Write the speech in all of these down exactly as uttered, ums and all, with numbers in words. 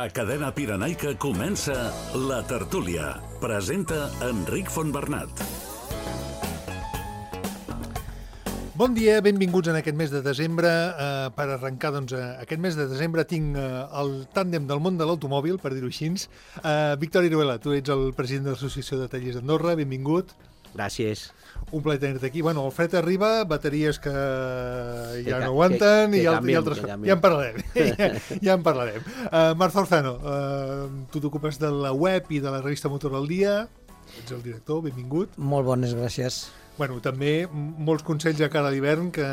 A Cadena Pirenaica comença La Tertúlia. Presenta Enric Fontbernat. Bon dia, benvinguts en aquest mes de desembre. Eh, per arrencar, doncs, eh, aquest mes de desembre tinc eh, el tàndem del món de l'automòbil, per dir-ho així. Eh, Víctor Iruela, tu ets el president de l'Associació de Tallers d'Andorra, benvingut. Gràcies. Un plaer tenir-te aquí. Bueno, el fred arriba, bateries que ja que, no aguanten que, que i, al, canviem, i altres coses. Ja en parlarem. ja, ja en parlarem. Uh, Marta Orzano, uh, tu t'ocupes de la web i de la revista Motor al Dia. Ets el director, benvingut. Molt bones, gràcies. Bueno, també molts consells a cara d'hivern que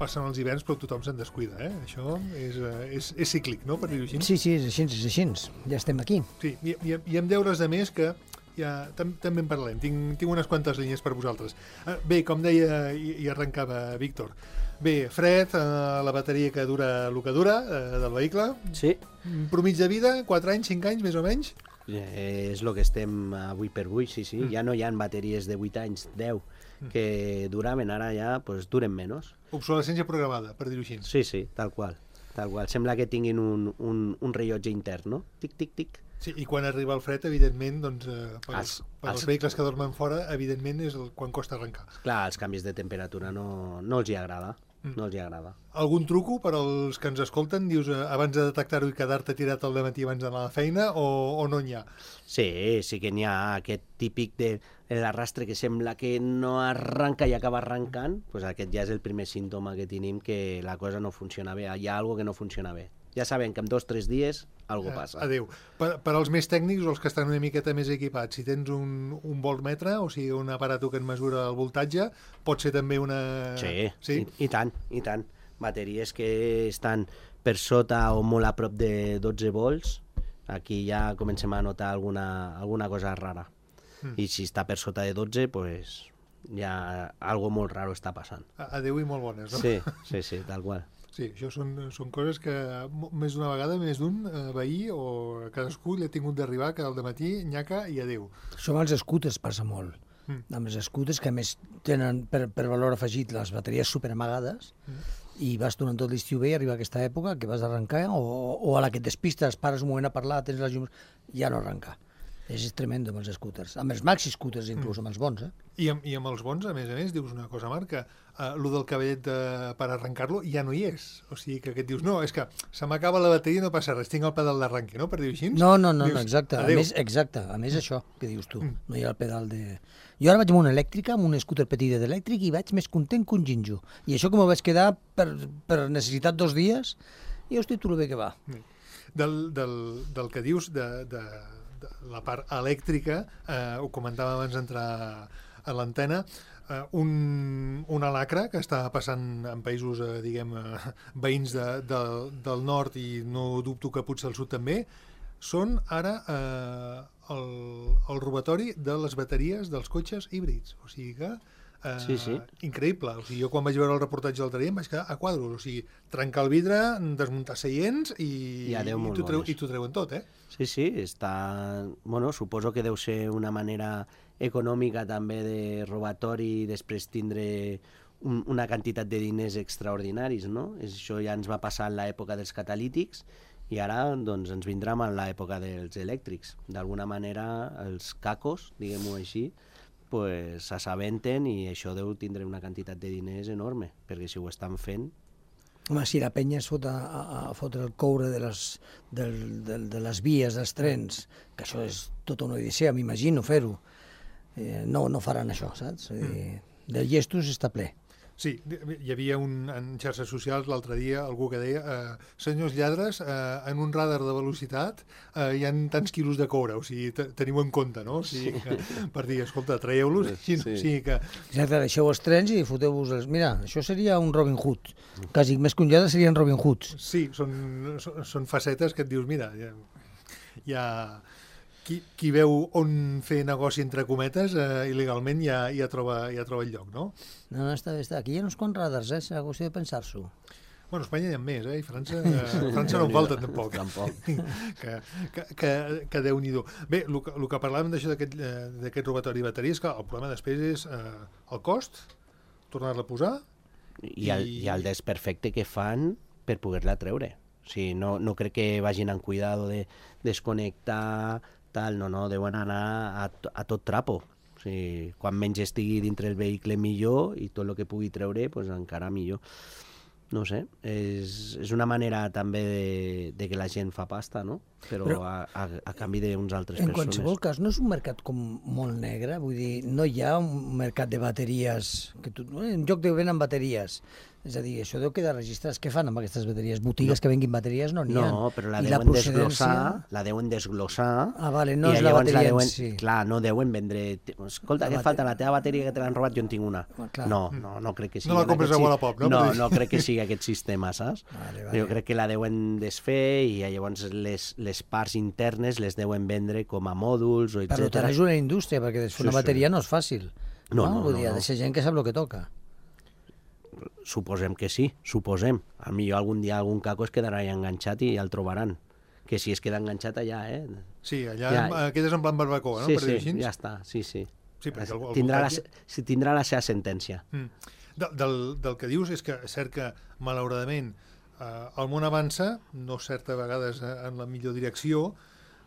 passen els hiverns però tothom se'n descuida, eh? Això és, és, és cíclic, no?, per dir-ho així. Sí, sí, és així, és així. Ja estem aquí. Sí, i, i, i amb deures de més que ja tam, també en parlem. Tinc, tinc unes quantes línies per vosaltres. Uh, bé, com deia i, i arrencava Víctor, bé, fred, uh, la bateria que dura el que dura uh, del vehicle. Sí. Promig de vida, quatre anys, cinc anys, més o menys. Eh, és el que estem avui per avui, sí, sí. Mm. Ja no hi ha bateries de vuit anys, deu, que duraven, ara ja pues, duren menys. Obsolescència programada, per dir-ho així. Sí, sí, tal qual. Tal qual. Sembla que tinguin un, un, un rellotge intern, no? Tic, tic, tic. Sí, i quan arriba el fred, evidentment, doncs, eh, per, els, per els, els vehicles que dormen fora, evidentment, és el, quan costa arrencar. Clar, els canvis de temperatura no, no els hi agrada. Mm. No els hi agrada. Algun truco per als que ens escolten? Dius, eh, abans de detectar-ho i quedar-te tirat al dematí abans d'anar a la feina, o, o no n'hi ha? Sí, sí que n'hi ha aquest típic de l'arrastre que sembla que no arranca i acaba arrencant, pues aquest ja és el primer símptoma que tenim que la cosa no funciona bé, hi ha alguna que no funciona bé. Ja sabem que en dos o tres dies alguna passa. Adéu. Per, per als més tècnics o els que estan una miqueta més equipats, si tens un, un voltmetre, o sigui, un aparato que et mesura el voltatge, pot ser també una... Sí, sí? I, i tant, i tant. Bateries que estan per sota o molt a prop de dotze volts, aquí ja comencem a notar alguna, alguna cosa rara. Mm. I si està per sota de dotze, pues, ja algo molt raro està passant. Adéu i molt bones, no? Sí, sí, sí, tal qual. Sí, això són, són coses que més d'una vegada, més d'un eh, veí o cadascú li ha tingut d'arribar que al dematí, nyaca i adéu. Això amb els scooters passa molt. Mm. Amb els scooters que a més tenen per, per valor afegit les bateries superamagades mm. i vas durant tot l'estiu bé i arriba aquesta època que vas arrencar o, o a la que et despistes, pares un moment a parlar, tens les llums, ja no arrenca. És tremendo amb els scooters, amb els maxi scooters inclús, mm. amb els bons, eh? I amb, I amb els bons, a més a més, dius una cosa, Marc, que uh, lo del cavallet de, per arrencar-lo ja no hi és. O sigui, que, que et dius, no, és que se m'acaba la bateria, no passa res, tinc el pedal d'arrenque, no?, per dir-ho així. No, no, no, dius, no exacte. A més, exacte. A més, això que dius tu, mm. no hi ha el pedal de... Jo ara vaig amb una elèctrica, amb un scooter petit d'elèctric, i vaig més content que un ginjo. I això que m'ho vaig quedar per, per necessitat dos dies, i hosti, tu bé que va. Del, del, del que dius de... de... la part elèctrica, eh, ho comentàvem abans d'entrar a l'antena, eh, un, una lacra que està passant en països, eh, diguem, eh, veïns de, de, del nord, i no dubto que potser al sud també, són ara eh, el, el robatori de les bateries dels cotxes híbrids. O sigui que Uh, sí, sí. increïble. O sigui, jo quan vaig veure el reportatge l'altre dia em vaig quedar a quadros. O sigui, trencar el vidre, desmuntar seients i, I, i t'ho treu, treuen tot, eh? Sí, sí, està... Bueno, suposo que deu ser una manera econòmica també de robatori i després tindre un, una quantitat de diners extraordinaris, no? Això ja ens va passar en l'època dels catalítics i ara doncs, ens vindrà en l'època dels elèctrics. D'alguna manera, els cacos, diguem-ho així, pues, s'assabenten i això deu tindre una quantitat de diners enorme, perquè si ho estan fent... Home, si la penya es fot a, a, a fotre el coure de les, del, del, de les vies, dels trens, que això és tota una odissea, m'imagino fer-ho, eh, no, no faran això, saps? Mm. De llestos està ple. Sí, hi havia un, en xarxes socials l'altre dia algú que deia eh, senyors lladres, eh, en un radar de velocitat eh, hi ha tants quilos de coure, o sigui, teniu en compte, no? O sigui, que, per dir, escolta, traieu-los, sí. O sigui que... Exacte, deixeu els trens i foteu-vos els... Mira, això seria un Robin Hood, quasi més que un lladre serien Robin Hoods. Sí, són, són, són facetes que et dius, mira, ja... ja... Qui, qui veu on fer negoci entre cometes eh, il·legalment ja, ja, troba, ja troba el lloc, no? No, no, està bé, està. Aquí hi ha uns quants radars, eh? S'ha qüestió de pensar-s'ho. Bueno, Espanya hi ha més, eh? I França, eh, França no en falta, tampoc. Tampoc. que, que, que, que Déu-n'hi-do. Bé, el que, el que parlàvem d'això d'aquest robatori de bateries, que el problema després és eh, el cost, tornar-la a posar... I el, i el desperfecte que fan per poder-la treure. O sigui, no, no crec que vagin amb cuidado de desconnectar, tal, no, no, deuen anar a, a tot trapo. O sigui, quan menys estigui dintre el vehicle millor i tot el que pugui treure, pues, encara millor. No sé, és, és una manera també de, de que la gent fa pasta, no? Però, Però a, a, a canvi d'uns altres en persones. En qualsevol cas, no és un mercat com molt negre? Vull dir, no hi ha un mercat de bateries, que tu, en lloc de venen bateries. És a dir, això deu quedar registrat. Què fan amb aquestes bateries? Botigues no. que venguin bateries no n'hi ha. No, però la I deuen la procedència... desglossar, la deuen desglossar. Ah, vale, no i és la bateria la deuen, en si. Clar, no deuen vendre... Escolta, què falta? La teva bateria que te l'han robat, jo en tinc una. Ah, no, no, no crec que sigui... No la compres a Wallapop, no? No, no crec que sigui aquest sistema, saps? Vale, vale. Jo crec que la deuen desfer i llavors les, les parts internes les deuen vendre com a mòduls o etcètera. Per tant, és una indústria, perquè desfer sí, una bateria sí. no és fàcil. No, no, no, Vull dir, no, ha de ser gent que sap el que toca. Suposem que sí, suposem. A millor algun dia algun caco es quedarà enganxat i ja el trobaran. Que si es queda enganxat allà, eh? Sí, allà ja, quedes en plan barbacoa, no? Sí, per dir sí, així. ja està, sí, sí. Sí, perquè el, el tindrà, voltatge... la, si tindrà la seva sentència. Mm. De, del, del que dius és que és cert que, malauradament, eh, el món avança, no certa vegades en la millor direcció,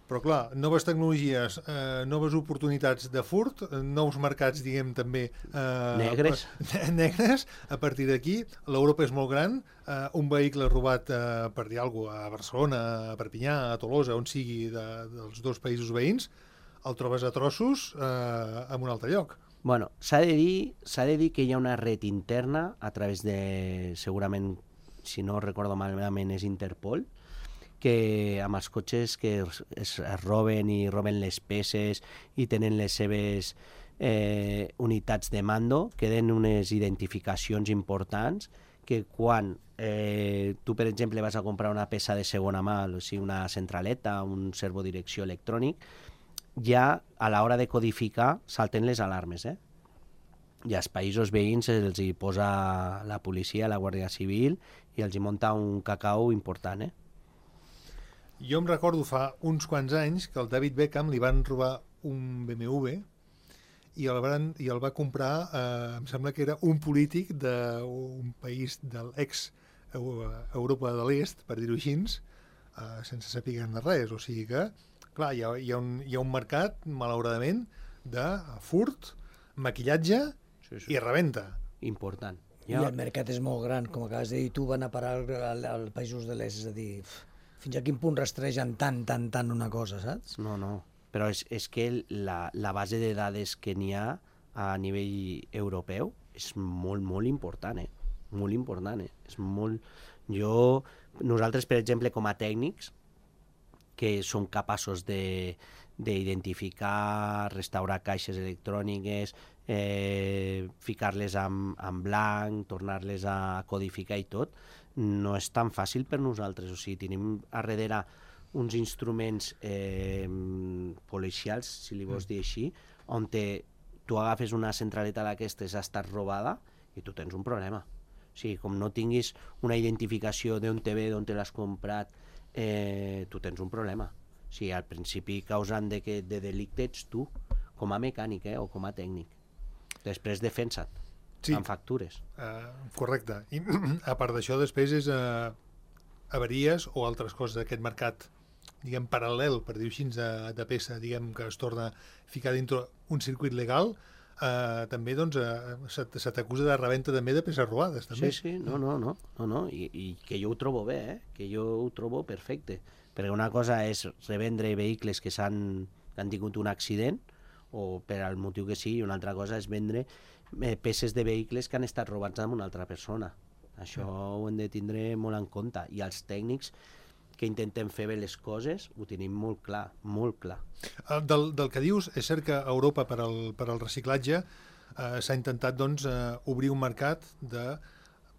però clar, noves tecnologies, eh, noves oportunitats de furt, nous mercats, diguem, també... Eh, negres. Eh, negres. A partir d'aquí, l'Europa és molt gran, eh, un vehicle robat, eh, per dir alguna cosa, a Barcelona, a Perpinyà, a Tolosa, on sigui de, dels dos països veïns, el trobes a trossos eh, en un altre lloc. Bueno, s'ha de dir, s'ha de dir que hi ha una red interna a través de, segurament, si no recordo malament, és Interpol, que amb els cotxes que es, es roben i roben les peces i tenen les seves eh, unitats de mando, queden unes identificacions importants que quan eh, tu, per exemple, vas a comprar una peça de segona mà, o sigui, una centraleta, un servodirecció electrònic, ja a l'hora de codificar salten les alarmes, eh? I als països veïns els hi posa la policia, la Guàrdia Civil, i els hi munta un cacau important, eh? Jo em recordo fa uns quants anys que al David Beckham li van robar un B M W i el, van, i el va comprar, eh, em sembla que era un polític d'un país de l'ex-Europa de l'Est, per dir-ho així, eh, sense saber de res. O sigui que, clar, hi ha, hi ha, un, hi ha un mercat, malauradament, de furt, maquillatge sí, sí. i reventa. Important. I el mercat és molt gran, com acabes de dir, tu van a parar als països de l'Est, és a dir... Fins a quin punt rastregen tant, tant, tant una cosa, saps? No, no. Però és, és que la, la base de dades que n'hi ha a nivell europeu és molt, molt important, eh? Molt important, eh? És molt... Jo... Nosaltres, per exemple, com a tècnics, que som capaços de d'identificar, restaurar caixes electròniques, eh, ficar-les en, en blanc, tornar-les a codificar i tot, no és tan fàcil per nosaltres. O sigui, tenim a darrere uns instruments eh, policials, si li vols dir així, on te, tu agafes una centraleta d'aquestes, ha estat robada i tu tens un problema. O sigui, com no tinguis una identificació d'on te ve, d'on te l'has comprat, eh, tu tens un problema. O sigui, al principi causant de, que, de delicte ets tu, com a mecànic eh, o com a tècnic. Després defensa't. Sí. Amb factures. Uh, correcte. I a part d'això, després és uh, avaries o altres coses d'aquest mercat, diguem, paral·lel, per dir-ho així, de, de peça, diguem, que es torna a ficar dintre un circuit legal, uh, també, doncs, uh, se, se t'acusa de reventa també de peces robades, també. Sí, sí, no, no, no, no, no. I, i que jo ho trobo bé, eh? Que jo ho trobo perfecte. Perquè una cosa és revendre vehicles que s'han han tingut un accident, o per al motiu que sigui, i una altra cosa és vendre eh, peces de vehicles que han estat robats amb una altra persona. Això mm. ho hem de tindre molt en compte. I els tècnics que intentem fer bé les coses ho tenim molt clar, molt clar. Del, del que dius, és cert que a Europa per al, per al reciclatge eh, s'ha intentat doncs, eh, obrir un mercat de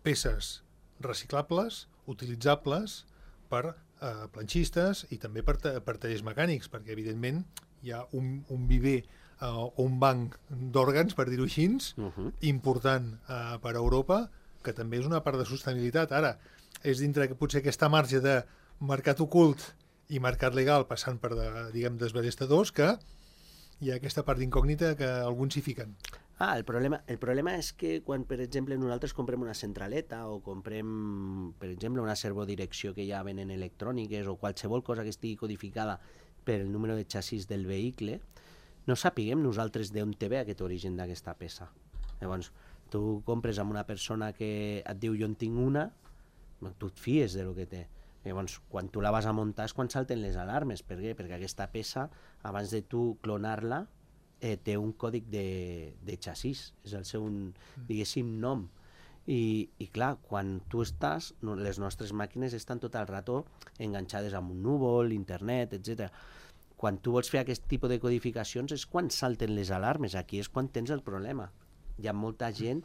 peces reciclables, utilitzables per eh, planxistes i també per, per tallers mecànics, perquè evidentment hi ha un, un viver o uh, un banc d'òrgans, per dir-ho així, uh -huh. important uh, per a Europa, que també és una part de sostenibilitat. Ara, és dintre que potser aquesta marge de mercat ocult i mercat legal passant per, de, diguem, desballestadors, que hi ha aquesta part d'incògnita que alguns s'hi fiquen. Ah, el problema, el problema és que quan, per exemple, nosaltres comprem una centraleta o comprem, per exemple, una servodirecció que ja venen electròniques o qualsevol cosa que estigui codificada per el número de xassis del vehicle, no sapiguem nosaltres d'on te ve aquest origen d'aquesta peça. Llavors, tu compres amb una persona que et diu jo en tinc una, tu et fies de lo que té. Llavors, quan tu la vas a muntar és quan salten les alarmes. Per què? Perquè aquesta peça, abans de tu clonar-la, eh, té un còdic de, de xassís, és el seu, diguéssim, nom. I, i clar, quan tu estàs, no, les nostres màquines estan tot el rato enganxades amb un núvol, internet, etcètera. Quan tu vols fer aquest tipus de codificacions és quan salten les alarmes, aquí és quan tens el problema. Hi ha molta gent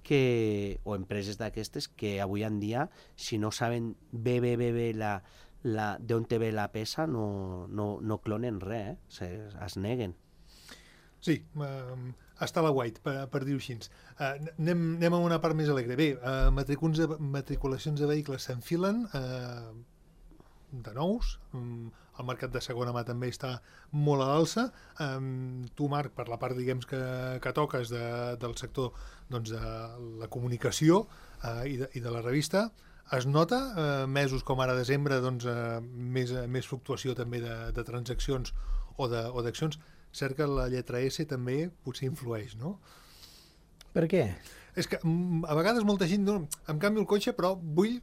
que, o empreses d'aquestes que avui en dia, si no saben bé, bé, bé, bé la, la, d'on te ve la peça, no, no, no clonen res, eh? Se, es neguen. Sí, uh, està a la white, per, per dir-ho així. Uh, anem, anem a una part més alegre. Bé, uh, matriculacions de vehicles s'enfilen, uh, de nous, um, el mercat de segona mà també està molt a l'alça. Um, tu, Marc, per la part, diguem, que, que toques de, del sector, doncs, de la comunicació uh, i, de, i de la revista, es nota, uh, mesos com ara desembre, doncs, uh, més, més fluctuació també de, de transaccions o d'accions. Cert que la lletra S també potser influeix, no? Per què? És que a vegades molta gent, no, em canvio el cotxe, però vull,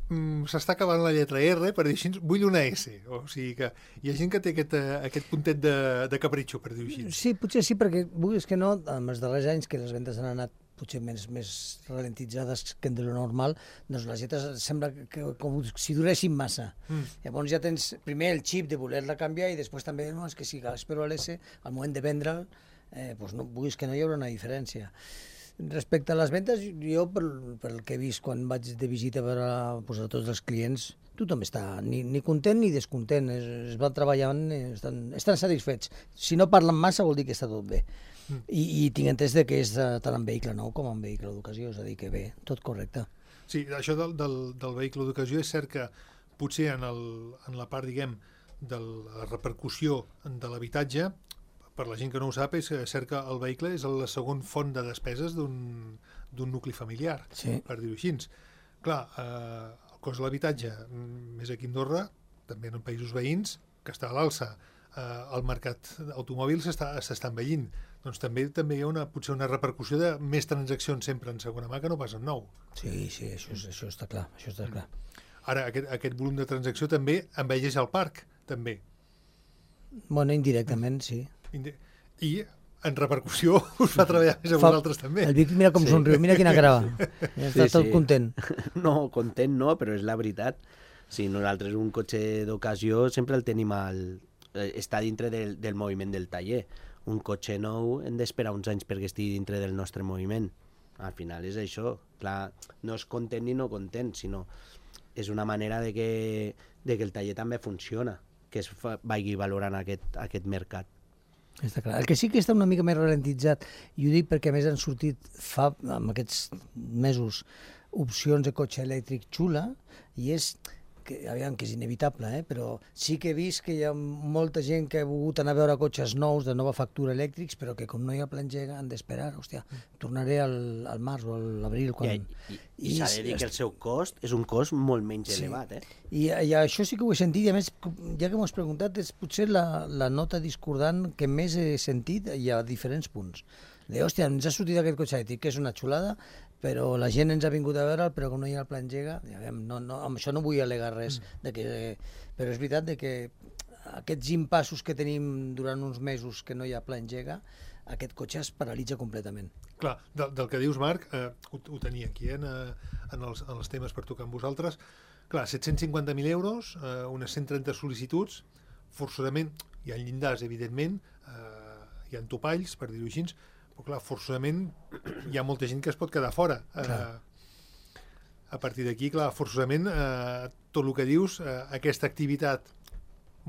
s'està acabant la lletra R, per dir així, vull una S. O sigui que hi ha gent que té aquest, aquest puntet de, de capritxo, per dir-ho així. Sí, potser sí, perquè vulguis que no, en els darrers anys que les ventes han anat potser més, més ralentitzades que de lo normal, doncs les lletres sembla que, com si duressin massa. Mm. Llavors ja tens primer el xip de voler-la canviar i després també, no, és que si espero l'S, al moment de vendre'l, eh, doncs no, vulguis que no hi haurà una diferència. Respecte a les ventes, jo, pel, pel que he vist quan vaig de visita per a, pues, a tots els clients, tothom està ni, ni content ni descontent, es, es va treballant, estan, estan satisfets. Si no parlen massa vol dir que està tot bé. Mm. I, i tinc entès que és tant en vehicle nou com en vehicle d'ocasió, és a dir, que bé, tot correcte. Sí, això del, del, del vehicle d'ocasió és cert que potser en, el, en la part, diguem, de la repercussió de l'habitatge, per la gent que no ho sap, és cert que el vehicle és la segona font de despeses d'un nucli familiar, sí, per dir-ho així. Clar, eh, el cost de l'habitatge, més aquí a Andorra, també en països veïns, que està a l'alça, eh, el mercat automòbil s'està envellint. Doncs també també hi ha una, potser una repercussió de més transaccions sempre en segona mà que no pas en nou. Sí, sí, això, és, això està clar, això està clar. Ara, aquest, aquest volum de transacció també envelleix el parc, també. Bueno, indirectament, sí. I en repercussió us fa treballar més a Fa, vosaltres també. El Vic mira com sí. somriu, mira quina cara. Ja està sí, tot sí. content. No, content no, però és la veritat. Sí, nosaltres un cotxe d'ocasió sempre el tenim al... està dintre del, del moviment del taller. Un cotxe nou hem d'esperar uns anys perquè estigui dintre del nostre moviment. Al final és això. Clar, no és content ni no content, sinó és una manera de que, de que el taller també funciona, que es fa, vagi valorant aquest, aquest mercat. Està clar. El que sí que està una mica més ralentitzat, i ho dic perquè a més han sortit fa, en aquests mesos, opcions de cotxe elèctric xula, i és que, aviam, que és inevitable, eh? Però sí que he vist que hi ha molta gent que ha volgut anar a veure cotxes nous de nova factura elèctrics, però que com no hi ha plangega han d'esperar. Hòstia, tornaré al, al març o a l'abril. Quan... I, i, i s'ha de dir que el seu cost és un cost molt menys sí. elevat. Eh? I, I això sí que ho he sentit, i a més, ja que m'ho has preguntat, és potser la, la nota discordant que més he sentit i a diferents punts. De, hòstia, ens ha sortit aquest cotxe elèctric, que és una xulada, però la gent ens ha vingut a veure'l, però com no hi ha el pla engega, no, no, amb això no vull al·legar res, de que, però és veritat de que aquests impassos que tenim durant uns mesos que no hi ha pla engega, aquest cotxe es paralitza completament. Clar, del, del que dius, Marc, eh, ho, ho tenia aquí, eh, en, en, els, en els temes per tocar amb vosaltres. Clar, set-cents cinquanta mil euros, eh, unes cent trenta sol·licituds, forçosament, hi ha llindars, evidentment, eh, hi ha topalls, per dir-ho així, però clar, forçosament hi ha molta gent que es pot quedar fora. Eh, a partir d'aquí, clar, forçosament, eh, tot el que dius, eh, aquesta activitat,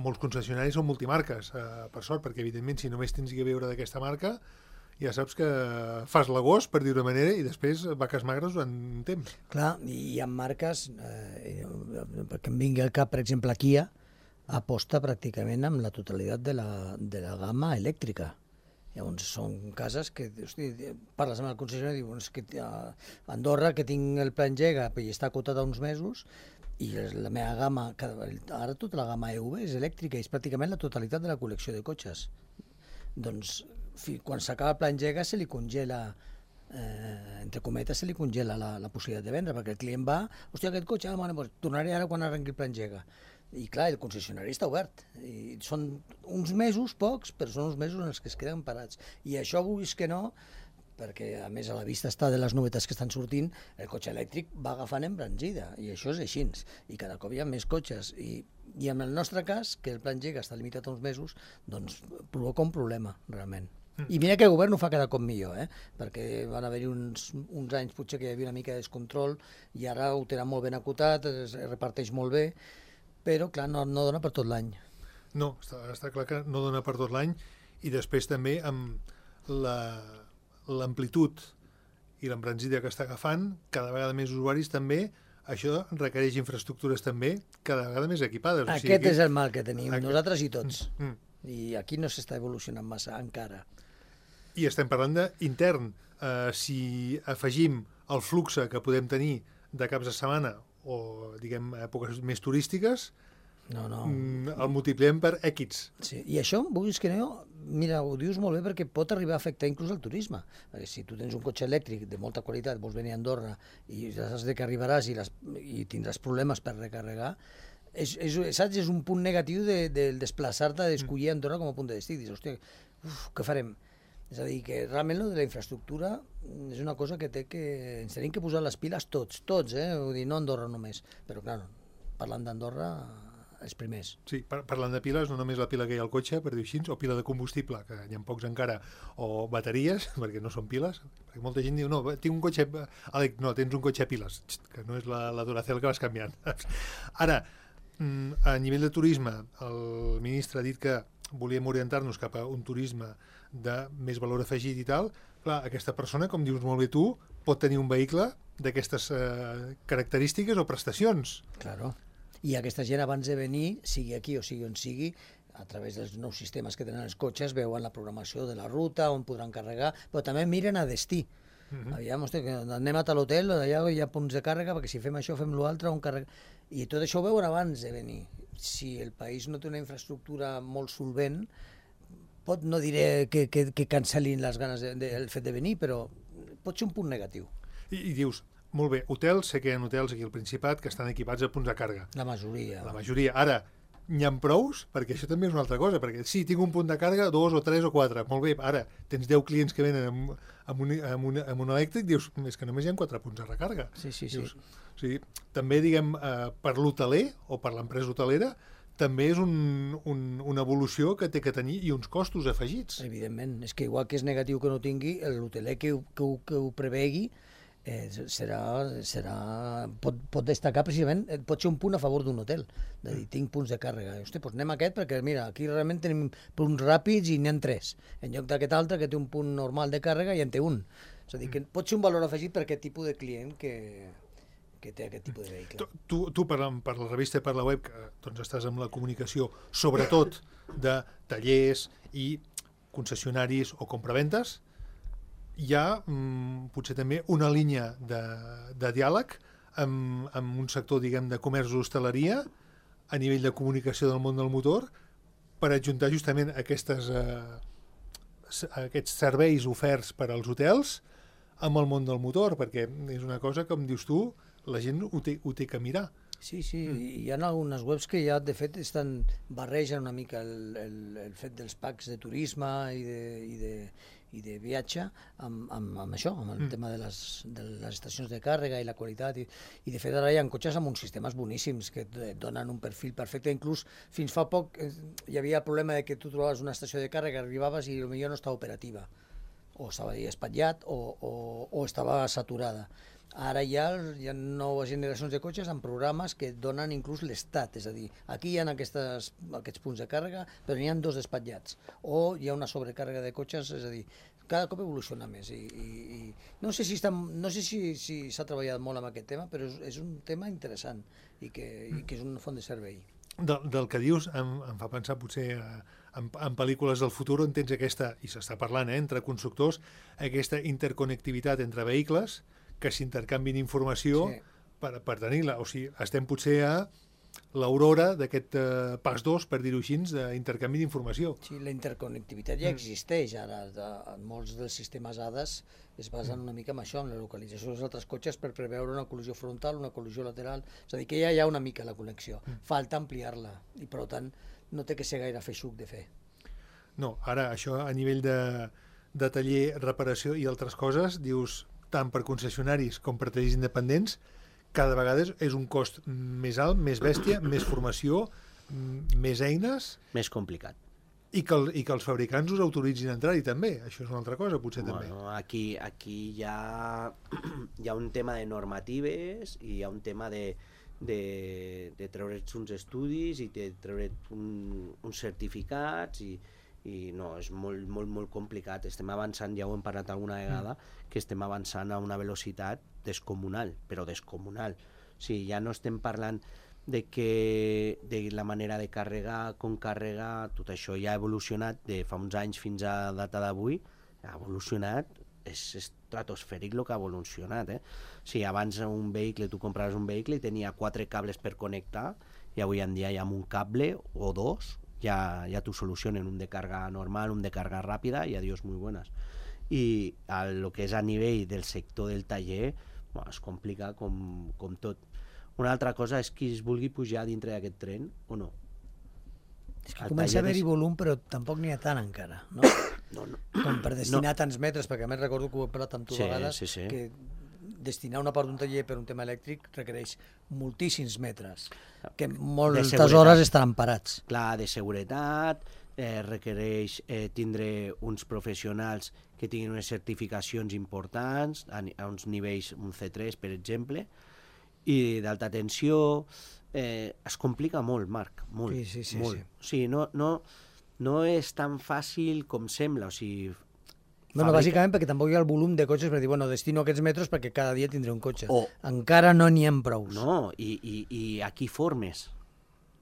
molts concessionaris són multimarques, eh, per sort, perquè evidentment si només tens que veure d'aquesta marca, ja saps que fas l'agost, per dir-ho manera, i després vaques magres durant un temps. Clar, i hi ha marques, eh, perquè em vingui al cap, per exemple, Kia, aposta pràcticament amb la totalitat de la, de la gamma elèctrica. Llavors són cases que, hosti, parles amb el concessionari i dius que a Andorra, que tinc el pla engega i està acotat a uns mesos, i la meva gamma, ara tota la gamma E V és elèctrica i és pràcticament la totalitat de la col·lecció de cotxes. Doncs quan s'acaba el pla engega se li congela, eh, entre cometes, se li congela la, la possibilitat de vendre, perquè el client va, hòstia, aquest cotxe, ah, bueno, pues, tornaré ara quan arrenqui el pla engega. I clar, el concessionari està obert. I són uns mesos, pocs, però són uns mesos en els que es queden parats. I això, vulguis que no, perquè a més a la vista està de les novetats que estan sortint, el cotxe elèctric va agafant embranzida, i això és així. I cada cop hi ha més cotxes. I, i en el nostre cas, que el pla engega està limitat a uns mesos, doncs provoca un problema, realment. I mira que el govern ho fa cada cop millor, eh? Perquè van haver-hi uns, uns anys potser que hi havia una mica de descontrol i ara ho tenen molt ben acotat, es reparteix molt bé, però clar, no, no dona per tot l'any. No, està, està clar que no dona per tot l'any, i després també amb l'amplitud i l'embranzida que està agafant, cada vegada més usuaris també, això requereix infraestructures també cada vegada més equipades. Aquest o sigui que... és el mal que tenim, aquest... nosaltres i tots. Mm, mm. I aquí no s'està evolucionant massa encara. I estem parlant d'intern. Uh, si afegim el flux que podem tenir de caps de setmana o, diguem, èpoques més turístiques, no, no. el multipliem per X. Sí. I això, vulguis que no, mira, ho dius molt bé perquè pot arribar a afectar inclús el turisme. Perquè si tu tens un cotxe elèctric de molta qualitat, vols venir a Andorra i ja saps de que arribaràs i, les, i tindràs problemes per recarregar, és, és, saps, és un punt negatiu de, de desplaçar-te, d'escollir Andorra com a punt de destí. Dius, hòstia, uf, què farem? És a dir, que realment lo de la infraestructura és una cosa que té que... ens tenim que posar les piles tots, tots, eh? Vull dir, no Andorra només. Però, clar, parlant d'Andorra, els primers. Sí, par parlant de piles, no només la pila que hi ha al cotxe, per dir així, o pila de combustible, que hi ha pocs encara, o bateries, perquè no són piles, perquè molta gent diu, no, tinc un cotxe... Alec, no, tens un cotxe a piles, que no és la, la Duracell que vas canviant. Ara, a nivell de turisme, el ministre ha dit que volíem orientar-nos cap a un turisme de més valor afegit i tal. Clar, aquesta persona, com dius molt bé tu, pot tenir un vehicle d'aquestes eh, característiques o prestacions. Claro. I aquesta gent, abans de venir, sigui aquí o sigui on sigui, a través dels nous sistemes que tenen els cotxes, veuen la programació de la ruta, on podran carregar, però també miren a destí. Uh-huh. Aviam, hosti, que anem a tal hotel, allà hi ha punts de càrrega, perquè si fem això, fem l'altre, on carrega... I tot això ho veuen abans de venir. Si el país no té una infraestructura molt solvent, pot, no diré que, que, que cancel·lin les ganes de, de, el fet de venir, però pot ser un punt negatiu. I, i dius, molt bé, hotels, sé que hi ha hotels aquí al Principat que estan equipats a punts de càrrega. La majoria. La majoria. Ara, n'hi ha prous? Perquè això també és una altra cosa, perquè sí, tinc un punt de càrrega, dos o tres o quatre, molt bé, ara tens deu clients que venen amb, amb, un, amb, un, amb un elèctric, dius, és que només hi ha quatre punts de recàrrega. Sí, sí, dius, sí. O sigui, també, diguem, eh, per l'hoteler o per l'empresa hotelera, també és un, un, una evolució que té que tenir i uns costos afegits. Evidentment, és que igual que és negatiu que no tingui, l'hoteler que, que, que ho prevegui eh, serà, serà, pot, pot destacar precisament, pot ser un punt a favor d'un hotel, de dir, tinc punts de càrrega. Hosti, doncs anem a aquest perquè, mira, aquí realment tenim punts ràpids i n'hi ha tres. En lloc d'aquest altre que té un punt normal de càrrega i en té un. És a dir, que pot ser un valor afegit per aquest tipus de client que... que té aquest tipus de vehicle. Tu, tu, tu per, per la revista i per la web, que doncs estàs amb la comunicació, sobretot de tallers i concessionaris o compraventes, hi ha mm, potser també una línia de, de diàleg amb, amb un sector, diguem, de comerç o hostaleria a nivell de comunicació del món del motor per adjuntar justament aquestes, eh, aquests serveis oferts per als hotels amb el món del motor, perquè és una cosa, com dius tu, la gent ho té, ho té que mirar. Sí, sí, mm. hi ha algunes webs que ja de fet estan barregen una mica el, el, el fet dels packs de turisme i de, i de, i de viatge amb, amb, amb això, amb el mm. tema de les, de les estacions de càrrega i la qualitat, i, i de fet ara hi ha cotxes amb uns sistemes boníssims que et donen un perfil perfecte. Inclús fins fa poc eh, hi havia el problema de que tu trobaves una estació de càrrega, arribaves i potser no estava operativa, o estava espatllat o, o, o estava saturada. Ara hi ha, hi ha noves generacions de cotxes amb programes que donen inclús l'estat, és a dir, aquí hi ha aquestes, aquests punts de càrrega, però n'hi ha dos despatllats, o hi ha una sobrecàrrega de cotxes, és a dir, cada cop evoluciona més. I, i, i no sé si s'ha no sé si, si s'ha treballat molt amb aquest tema, però és, és un tema interessant i que, i que és una font de servei. Del, del que dius em, em fa pensar potser a, en, en pel·lícules del futur on tens aquesta, i s'està parlant eh, entre constructors, aquesta interconnectivitat entre vehicles que s'intercanvin informació sí. per, per tenir-la. O sigui, estem potser a l'aurora d'aquest eh, pas dos, per dir-ho així, d'intercanvi d'informació. Sí, la interconnectivitat ja existeix ara. De, en molts dels sistemes A D A S es basen una mica en això, en la localització dels altres cotxes per preveure una col·lisió frontal, una col·lisió lateral. És a dir, que ja hi ha una mica la connexió. Falta ampliar-la i, per tant, no té que ser gaire feixuc de fer. No, ara això a nivell de, de taller, reparació i altres coses, dius, tant per concessionaris com per tallers independents, cada vegada és un cost més alt, més bèstia, més formació, més eines... Més complicat. I que, el, I que els fabricants us autoritzin a entrar-hi també. Això és una altra cosa, potser bueno, també. Aquí, aquí hi, ha, hi ha un tema de normatives i hi ha un tema de, de, de treure't uns estudis i de treure't un, uns certificats i, i no, és molt, molt, molt complicat. Estem avançant, ja ho hem parlat alguna vegada, mm. que estem avançant a una velocitat descomunal, però descomunal. O sigui, ja no estem parlant de que de la manera de carregar, com carregar, tot això ja ha evolucionat de fa uns anys fins a data d'avui, ha evolucionat, és estratosfèric el que ha evolucionat. Eh? O sigui, abans un vehicle, tu compraves un vehicle i tenia quatre cables per connectar, i avui en dia ja amb un cable o dos ja, ja t'ho solucionen, un de càrrega normal, un de càrrega ràpida i adiós muy buenas. I el que és a nivell del sector del taller, bueno, es complica com, com tot. Una altra cosa és qui es vulgui pujar dintre d'aquest tren o no. És que comença a haver-hi volum, però tampoc n'hi ha tant encara, no? No, no. Com per destinar no. tants metres, perquè a més recordo que ho he parlat amb tu sí, vegades, sí, sí. que destinar una part d'un taller per un tema elèctric requereix moltíssims metres, que moltes hores estaran parats. Clar, de seguretat, eh, requereix eh, tindre uns professionals que tinguin unes certificacions importants, a, a uns nivells, un C tres, per exemple, i d'alta tensió, eh, es complica molt, Marc, molt, sí, sí, sí, molt. Sí. O sigui, no, no, no és tan fàcil com sembla, o sigui... Bueno, fabrica... bàsicament perquè tampoc hi ha el volum de cotxes per dir, bueno, destino aquests metres perquè cada dia tindré un cotxe. O... Encara no n'hi ha prous. No, i, i, i aquí formes.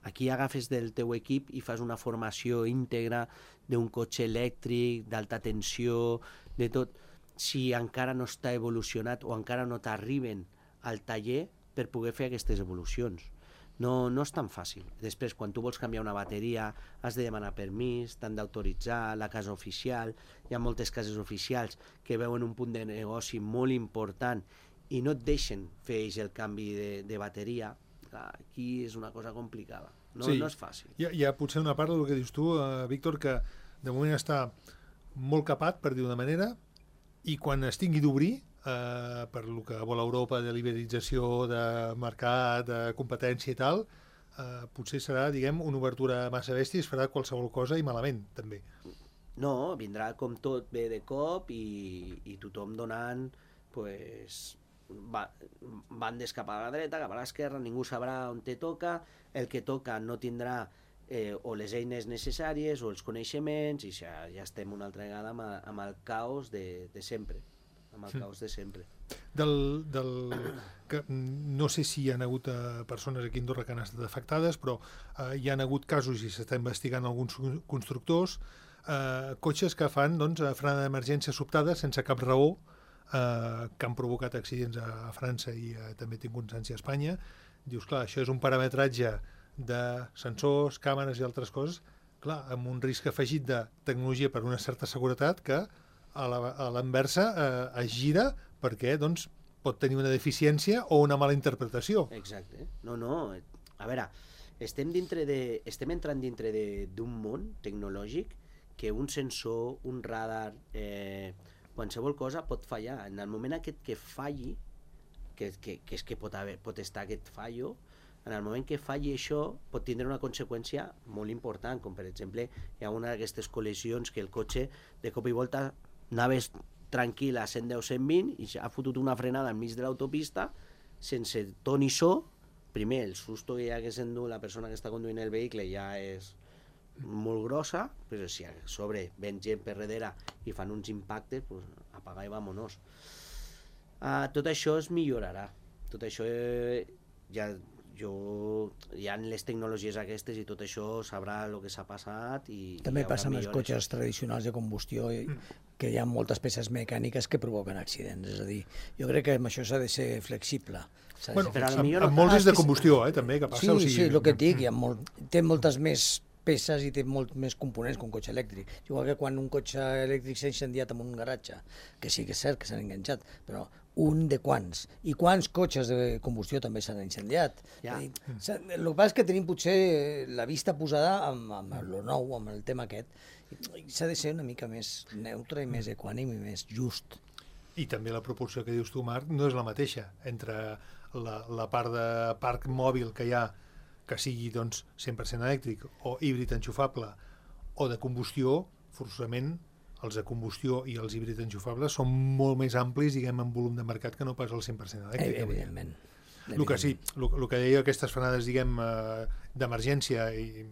Aquí agafes del teu equip i fas una formació íntegra d'un cotxe elèctric, d'alta tensió, de tot. Si encara no està evolucionat o encara no t'arriben al taller per poder fer aquestes evolucions. No, no és tan fàcil. Després, quan tu vols canviar una bateria, has de demanar permís, t'han d'autoritzar la casa oficial, hi ha moltes cases oficials que veuen un punt de negoci molt important i no et deixen fer ells el canvi de, de bateria. Aquí és una cosa complicada. No, sí, no és fàcil. Hi ha, hi ha potser una part del que dius tu, eh, Víctor, que de moment està molt capat, per dir-ho d'una manera, i quan es tingui d'obrir, eh, per lo que vol Europa de liberalització, de mercat, de competència i tal, eh, potser serà, diguem, una obertura massa bèstia i es farà qualsevol cosa i malament, també. No, vindrà com tot bé de cop i, i tothom donant, pues, va, bandes cap a la dreta, cap a l'esquerra, ningú sabrà on te toca, el que toca no tindrà eh, o les eines necessàries o els coneixements i ja, ja estem una altra vegada amb, amb el caos de, de sempre. amb el caos de sempre. Del, del, que, no sé si hi ha hagut eh, persones aquí a Andorra que han estat afectades, però eh, hi ha hagut casos i s'està investigant alguns constructors, eh, cotxes que fan doncs, frena d'emergència sobtada sense cap raó, eh, que han provocat accidents a, a França i eh, també tinc constància a Espanya. Dius, clar, això és un parametratge de sensors, càmeres i altres coses, clar, amb un risc afegit de tecnologia per una certa seguretat que a l'inversa eh, es gira perquè doncs, pot tenir una deficiència o una mala interpretació. Exacte. No, no. A veure, estem, dintre de, estem entrant dintre d'un món tecnològic que un sensor, un radar, eh, qualsevol cosa pot fallar. En el moment aquest que falli, que, que, que és que pot, haver, pot estar aquest fallo, en el moment que falli això pot tindre una conseqüència molt important, com per exemple hi ha una d'aquestes col·lisions que el cotxe de cop i volta anaves tranquil a cent deu cent vint i ha fotut una frenada enmig de l'autopista sense to ni so. Primer, el susto que hi ha que s'endú la persona que està conduint el vehicle ja és molt grossa, però si a sobre ven gent per darrere i fan uns impactes, pues, apagar i vámonos. Uh, tot això es millorarà. Tot això eh, ja, jo, hi ha les tecnologies aquestes i tot això sabrà el que s'ha passat i també hi haurà passa amb els millores. cotxes tradicionals de combustió que hi ha moltes peces mecàniques que provoquen accidents, és a dir, jo crec que amb això s'ha de ser flexible. Bueno, Però amb, millor... amb molts Ah, és és de que combustió, eh, també, que passa. Sí, o sigui... sí, el que et dic, hi ha molt, té moltes més peces i té molt més components que un cotxe elèctric. Igual que quan un cotxe elèctric s'ha incendiat en un garatge, que sí que és cert que s'han enganxat, però un de quants? I quants cotxes de combustió també s'han incendiat? Ja. El que passa és que tenim potser la vista posada amb, amb el nou, amb el tema aquest. I s'ha de ser una mica més neutre i més equànim i més just. I també la proporció que dius tu, Marc, no és la mateixa entre la, la part de parc mòbil que hi ha que sigui doncs, cent per cent elèctric o híbrid enxufable o de combustió, forçosament els de combustió i els híbrids enxufables són molt més amplis, diguem, en volum de mercat que no pas el cent per cent elèctric. Evidentment. El que sí, el que deia, aquestes frenades, diguem, d'emergència i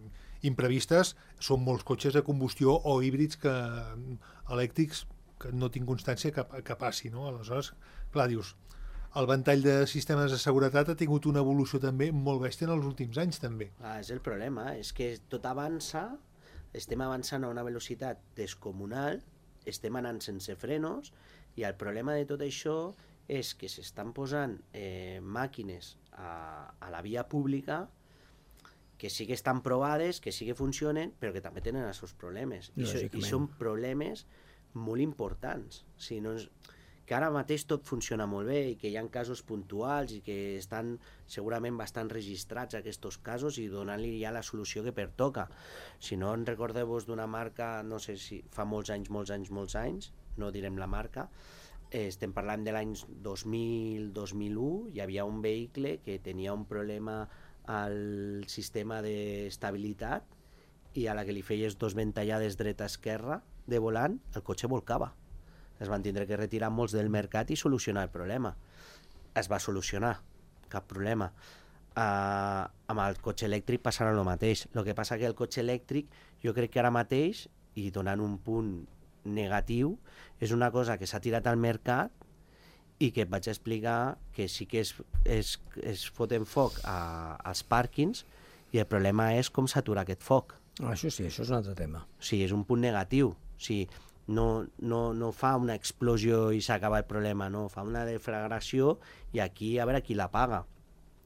imprevistes, són molts cotxes de combustió o híbrids que, elèctrics que no tinc constància que, que passi, no? Aleshores, clar, dius, el ventall de sistemes de seguretat ha tingut una evolució també molt bèstia en els últims anys, també. Ah, és el problema, és que tot avança, estem avançant a una velocitat descomunal, estem anant sense frenos, i el problema de tot això és que s'estan posant eh, màquines a, a la via pública que sí que estan provades, que sí que funcionen, però que també tenen els seus problemes. I, so, i són problemes molt importants. O sigui, no és... que ara mateix tot funciona molt bé i que hi ha casos puntuals i que estan segurament bastant registrats aquests casos i donant-li ja la solució que pertoca. Si no en recordeu-vos d'una marca, no sé si fa molts anys, molts anys, molts anys, no direm la marca, eh, estem parlant de l'any dos mil dos mil u, hi havia un vehicle que tenia un problema al sistema d'estabilitat i a la que li feies dos ventallades dreta-esquerra de volant, el cotxe volcava. Es van tindre que retirar molts del mercat i solucionar el problema. Es va solucionar, cap problema. Uh, amb el cotxe elèctric passarà el mateix. El que passa que el cotxe elèctric, jo crec que ara mateix, i donant un punt negatiu, és una cosa que s'ha tirat al mercat i que et vaig explicar que sí que es, es, es foten foc a, als pàrquings i el problema és com s'atura aquest foc. Això sí, això és un altre tema. O sigui, és un punt negatiu. O sigui, No, no, no fa una explosió i s'acaba el problema, no, fa una deflagració i aquí a veure qui la paga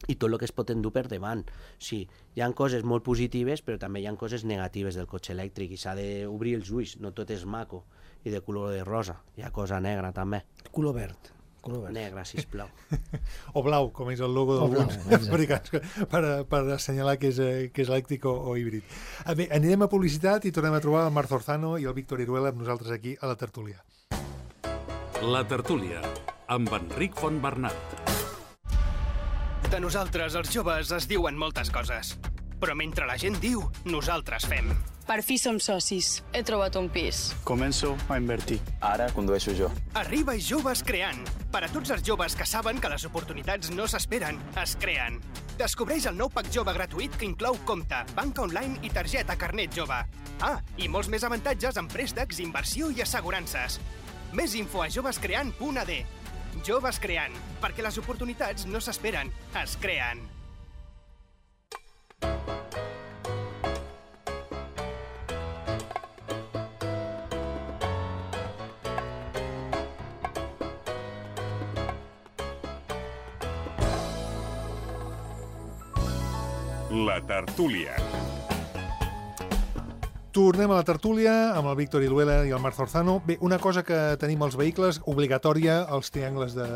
i tot el que es pot endur per davant. Sí, hi ha coses molt positives però també hi ha coses negatives del cotxe elèctric i s'ha d'obrir els ulls, no tot és maco i de color de rosa, hi ha cosa negra també. Color verd. Color verd. Negra, sisplau. O blau, com és el logo d'alguns fabricants, per, per assenyalar que és, que és elèctric o, o híbrid. Bé, anirem a publicitat i tornem a trobar el Marc Zorzano i el Víctor Iruela amb nosaltres aquí a la tertúlia. La tertúlia, amb Enric Fontbernat. De nosaltres, els joves, es diuen moltes coses. Però mentre la gent diu, nosaltres fem. Per fi som socis. He trobat un pis. Començo a invertir. Ara condueixo jo. Arriba Joves Creant. Per a tots els joves que saben que les oportunitats no s'esperen, es creen. Descobreix el nou pack jove gratuït que inclou compte, banca online i targeta carnet jove. Ah, i molts més avantatges en préstecs, inversió i assegurances. Més info a jovescreant punt a d. Joves Creant, perquè les oportunitats no s'esperen, es creen. La tertúlia. Tornem a la tertúlia amb el Víctor Iruela i el Marc Zorzano. Bé, una cosa que tenim als vehicles, obligatòria, els triangles de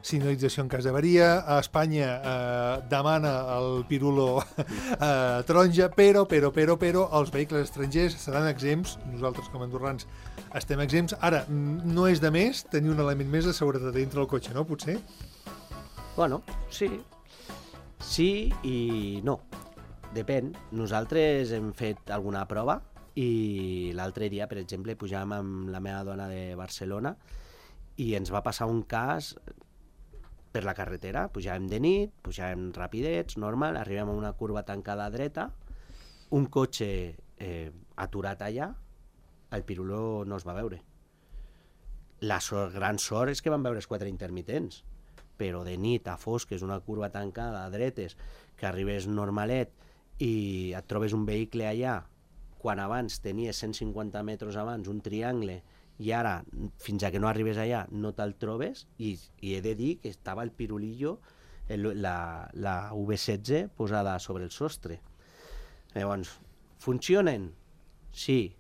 senyalització en cas d'avaria. A Espanya eh, demana el pirulo eh, taronja, però, però, però, però, els vehicles estrangers seran exempts. Nosaltres, com a andorrans, estem exempts. Ara, no és de més tenir un element més de seguretat dintre del cotxe, no? Potser? Bueno, sí. Sí i no. Depèn. Nosaltres hem fet alguna prova i l'altre dia, per exemple, pujàvem amb la meva dona de Barcelona i ens va passar un cas per la carretera. Pujàvem de nit, pujàvem rapidets, normal, arribem a una curva tancada a dreta, un cotxe eh, aturat allà, el pirulo no es va veure. La sort, gran sort és que van veure els quatre intermitents, però de nit, a fosques, una curva tancada, a dretes, que arribes normalet i et trobes un vehicle allà, quan abans tenies cent cinquanta metres abans un triangle i ara, fins a que no arribes allà, no te'l trobes, i, i he de dir que estava el pirulillo, el, la, la U V setze posada sobre el sostre. Llavors, funcionen? Sí,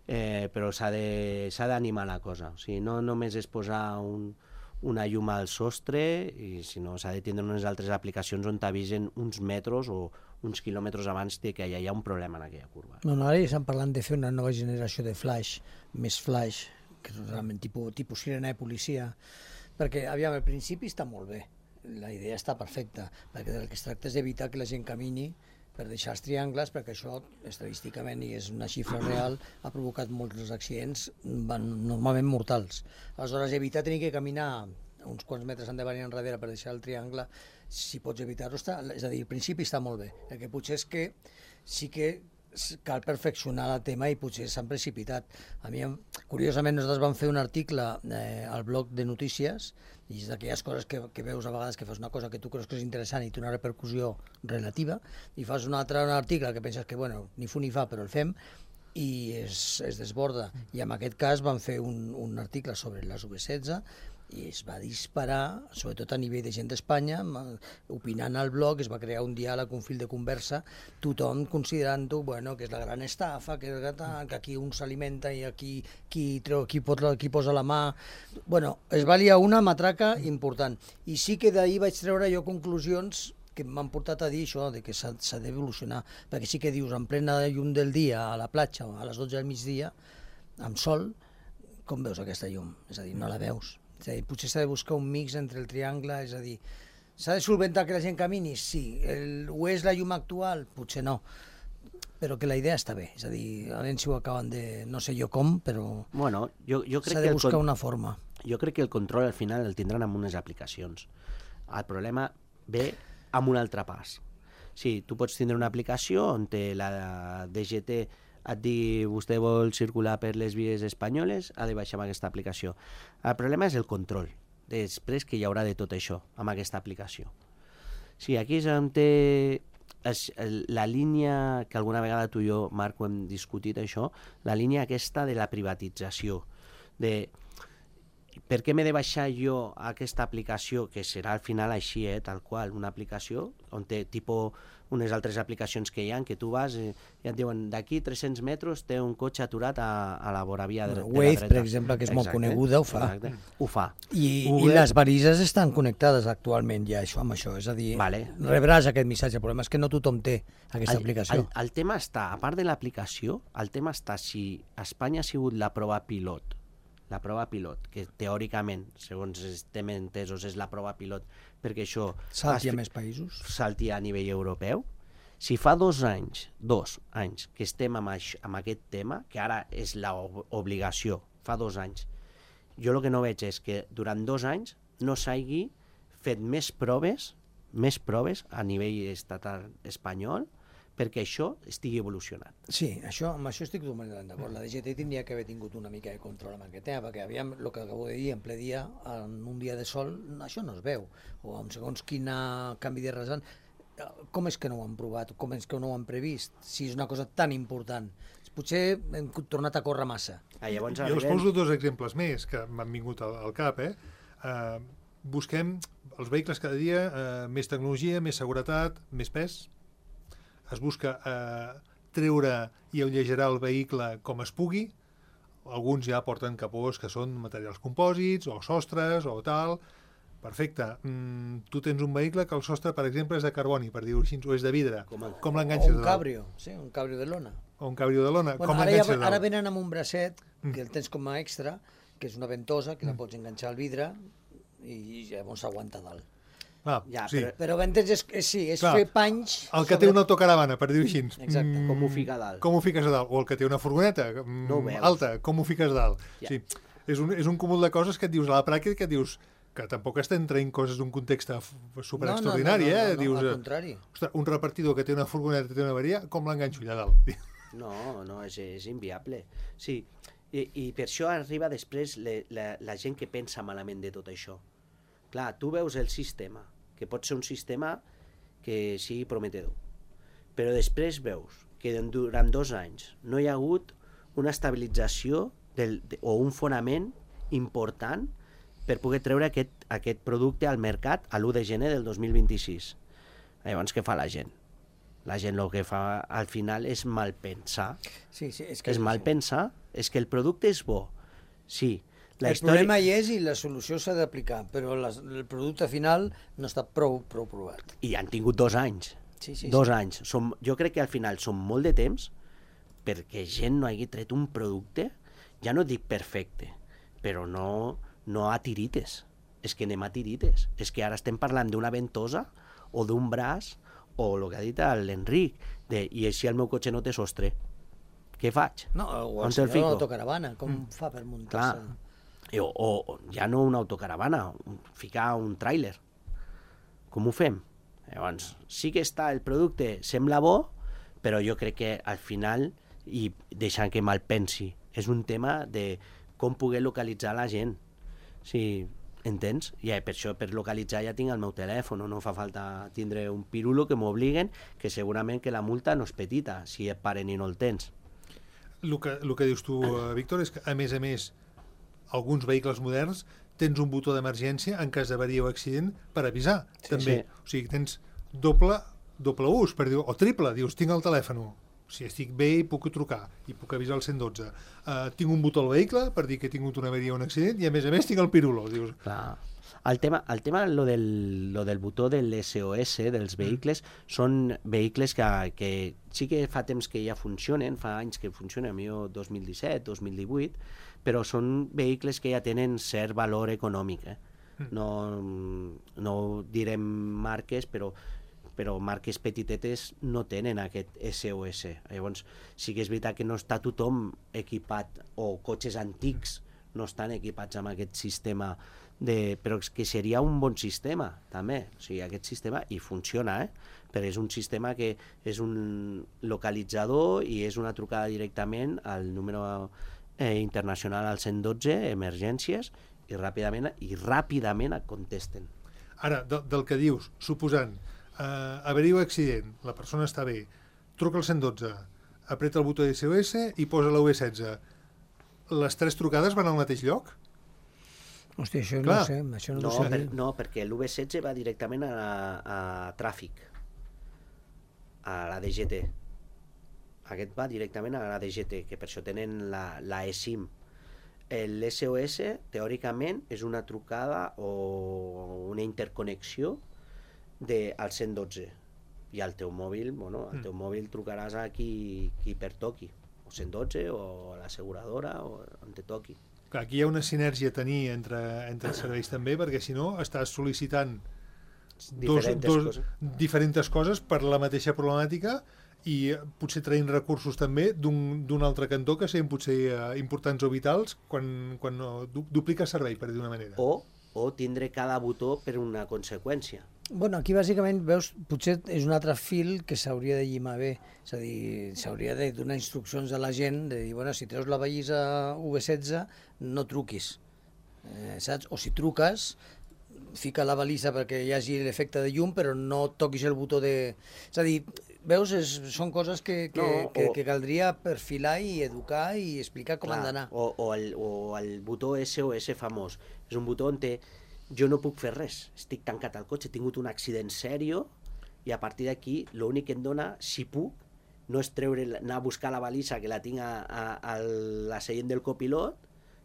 eh, però s'ha d'animar la cosa. O sigui, no només és posar un, una llum al sostre, i sinó s'ha de tindre unes altres aplicacions on t'avisen uns metres o uns quilòmetres abans de que hi ha un problema en aquella curva. Bueno, ara ja estan parlant de fer una nova generació de flash, més flash, que és realment tipus, tipus sirena de policia, perquè, aviam, al principi està molt bé, la idea està perfecta, perquè del que es tracta és d'evitar que la gent camini per deixar els triangles, perquè això, estadísticament, i és una xifra real, ha provocat molts accidents, van normalment mortals. Aleshores, evitar tenir que caminar uns quants metres endavant i enrere per deixar el triangle, si pots evitar-ho, està, és a dir, al principi està molt bé. El que potser és que sí que cal perfeccionar el tema i potser s'han precipitat. A mi, curiosament, nosaltres vam fer un article eh, al blog de notícies, i és d'aquelles coses que, que veus a vegades que fas una cosa que tu creus que és interessant i té una repercussió relativa, i fas un altre un article que penses que, bueno, ni fu ni fa, però el fem, i es, es desborda. I en aquest cas vam fer un, un article sobre les U V setze, i es va disparar, sobretot a nivell de gent d'Espanya, opinant al blog, es va crear un diàleg, un fil de conversa, tothom considerant-ho, bueno, que és la gran estafa, que, que aquí un s'alimenta i aquí qui, treu, qui, pot, qui posa la mà... Bueno, es va liar una matraca important. I sí que d'ahir vaig treure jo conclusions que m'han portat a dir això, de que s'ha d'evolucionar, perquè sí que dius, en plena llum del dia, a la platja, a les dotze del migdia, amb sol, com veus aquesta llum? És a dir, no la veus. És a dir, potser s'ha de buscar un mix entre el triangle, és a dir, s'ha de solventar que la gent camini? Sí. El, ho és la llum actual? Potser no. Però que la idea està bé, és a dir, a veure si ho acaben de... no sé jo com, però bueno, jo, jo crec s'ha de que buscar el, una forma. Jo crec que el control al final el tindran amb unes aplicacions. El problema ve amb un altre pas. Sí, tu pots tindre una aplicació on la D G T et digui vostè vol circular per les vies espanyoles, ha de baixar amb aquesta aplicació. El problema és el control, després que hi haurà de tot això, amb aquesta aplicació. Sí, aquí és on té és la línia, que alguna vegada tu i jo, Marc, ho hem discutit això, la línia aquesta de la privatització, de per què m'he de baixar jo aquesta aplicació, que serà al final així, eh, tal qual, una aplicació on té tipus unes altres aplicacions que hi ha, que tu vas i et diuen d'aquí tres-cents metres té un cotxe aturat a, a la voravia de, de la dreta. Waze, per exemple, que és molt coneguda, ho fa. Exacte, ho fa. I, i les balises estan connectades actualment ja això, amb això, és a dir, vale. Rebràs aquest missatge, el problema és que no tothom té aquesta el, aplicació. El, el tema està, a part de l'aplicació, el tema està si Espanya ha sigut la prova pilot, la prova pilot, que teòricament, segons estem entesos, és la prova pilot, perquè això salti a més països, salti a nivell europeu. Si fa dos anys, dos anys que estem amb, això, amb aquest tema, que ara és l'obligació, fa dos anys, jo el que no veig és que durant dos anys no s'hagi fet més proves, més proves a nivell estatal espanyol, perquè això estigui evolucionat. Sí, això, amb això estic totalment d'acord. La D G T tindria que haver tingut una mica de control amb aquest tema, perquè aviam, el que acabo de dir, en ple dia, en un dia de sol, això no es veu. O amb segons quin canvi de rasant, com és que no ho han provat? Com és que no ho han previst? Si és una cosa tan important. Potser hem tornat a córrer massa. Ah, llavors, jo us poso dos exemples més que m'han vingut al, al cap. Eh? Uh, busquem els vehicles cada dia, uh, més tecnologia, més seguretat, més pes. Es busca eh, treure i allegerar el vehicle com es pugui. Alguns ja porten capós que són materials compòsits o sostres o tal. Perfecte. Mm, tu tens un vehicle que el sostre, per exemple, és de carboni, per dir-ho així, o és de vidre. Com, com l'enganxes? O un cabrio, sí, un cabrio de lona. O un cabrio de lona. Bueno, com ara, l'enganxes? Ja, ara venen amb un bracet, que el tens com a extra, que és una ventosa, que la pots enganxar al vidre i llavors s'aguanta dalt. Ah, ja, sí. Però, però m'entens, és, és, sí, és clar, fer panys... El que sobre... té una autocaravana, per dir-ho així. Exacte. Mm, com ho fica a dalt. Com ho fiques a dalt. O el que té una furgoneta no alta, com ho fiques a dalt. Ja. Sí. És, un, és un cúmul de coses que et dius a la pràctica, que et dius que tampoc estem traient coses d'un context super extraordinari. No, no, no, eh? no, no, dius, al contrari. Ostres, un repartidor que té una furgoneta, té una avaria, com l'enganxo allà dalt? No, no, és, és inviable. Sí, i, i per això arriba després le, la, la gent que pensa malament de tot això. Clar, tu veus el sistema, que pot ser un sistema que sigui prometedor, però després veus que durant dos anys no hi ha hagut una estabilització del, o un fonament important per poder treure aquest, aquest producte al mercat a l'u de gener del dos mil vint-i-sis. Llavors, què fa la gent? La gent el que fa al final és malpensar. Sí, sí, és que és malpensar, és que el producte és bo. Sí. La el història... problema hi és i la solució s'ha d'aplicar, però la, el producte final no està prou, prou provat. I han tingut dos anys. Sí, sí, dos sí. anys. Som, jo crec que al final són molt de temps perquè gent no hagi tret un producte, ja no dic perfecte, però no, no a tirites. És que anem a tirites. És que ara estem parlant d'una ventosa o d'un braç o el que ha dit l'Enric, de, i si el meu cotxe no té sostre, què faig? No, o On el te'l senyor fico? de l'autocaravana, com mm. fa per muntar-se? Clar. O, o ja no una autocaravana, ficar un tràiler. Com ho fem? Llavors, sí que està el producte, sembla bo, però jo crec que al final, i deixant que malpensi, és un tema de com poder localitzar la gent. Sí, entens? I per això, per localitzar ja tinc el meu telèfon, no fa falta tindre un pirulo que m'obliguen, que segurament que la multa no és petita, si et paren i no el tens. El que, el que dius tu, Víctor, és que, a més a més, alguns vehicles moderns tens un botó d'emergència en cas d'avaria o accident per avisar, sí, també. Sí. O sigui, tens doble, doble ús, per dir, o triple, dius, tinc el telèfon, si estic bé i puc trucar, i puc avisar el cent dotze. Uh, tinc un botó al vehicle per dir que he tingut una avaria o un accident, i a més a més tinc el pirulo, dius. Clar. El tema, el tema lo del, lo del botó del S O S dels vehicles, mm. són vehicles que, que sí que fa temps que ja funcionen, fa anys que funcionen, jo dos mil disset, dos mil divuit, però són vehicles que ja tenen cert valor econòmic. Eh? Mm. No, no direm marques, però, però marques petitetes no tenen aquest S O S. Llavors, sí que és veritat que no està tothom equipat, o cotxes antics no estan equipats amb aquest sistema, de, però que seria un bon sistema també, o sigui, aquest sistema i funciona, eh? Però és un sistema que és un localitzador i és una trucada directament al número eh, internacional al cent dotze, emergències, i ràpidament i ràpidament et contesten. Ara, de, del que dius, suposant eh, avaria o accident, la persona està bé, truca al cent dotze, apreta el botó de S O S i posa la U setze. Les tres trucades van al mateix lloc? Hòstia, això Clar. no ho sé. Això no, No, ho sé. per, no, perquè l'U setze va directament a, a tràfic, a la D G T. Aquest va directament a la D G T, que per això tenen la, la eSIM. L'S O S, teòricament, és una trucada o una interconnexió de, al cent dotze. I al teu mòbil, bueno, al teu mòbil trucaràs a qui, qui pertoqui, o cent dotze, o a l'asseguradora, o on te toqui. Clar, aquí hi ha una sinergia a tenir entre, entre serveis també, perquè si no estàs sol·licitant dos, Diferents dos, coses. diferents coses per la mateixa problemàtica i potser traient recursos també d'un altre cantó que siguin potser eh, importants o vitals quan, quan no, du, duplica servei, per dir d'una manera. O, o tindre cada botó per una conseqüència. Bueno, aquí bàsicament veus, potser és un altre fil que s'hauria de llimar bé, és a dir, s'hauria de donar instruccions a la gent de dir, bueno, si treus la ballissa U setze, no truquis, eh, saps? O si truques, fica la balissa perquè hi hagi l'efecte de llum, però no toquis el botó de... És a dir, veus, és, són coses que, que, No, o- que, que caldria perfilar i educar i explicar com Clar, han d'anar. O, o, el, o el botó S O S famós. És un botó on té, jo no puc fer res, estic tancat al cotxe, he tingut un accident sèrio i a partir d'aquí l'únic que em dona, si puc, no és treure, anar a buscar la balissa que la tinc a, a, a la seient del copilot,